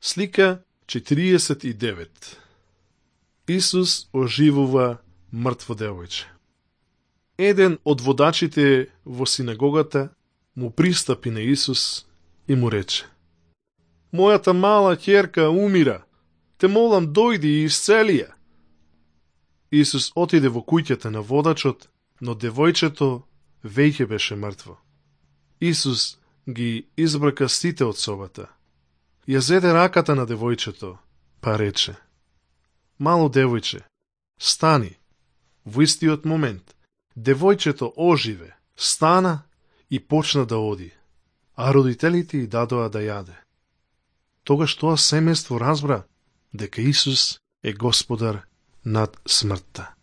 Слика 49. Исус оживува мртво девојче. Еден од водачите во синагогата му пристапи на Исус и му рече: Мојата мала ќерка умира, те молам дојди и исцели ја. Исус отиде во куќата на водачот, но девојчето веќе беше мртво. Исус ги избрака сите од собата. Ја зеде раката на девојчето, па рече: Мало девојче, стани. Во истиот момент, девојчето оживе, стана и почна да оди, а родителите ѝ дадоа да јаде. Тогаш тоа семејство разбра дека Исус е Господар над смртта.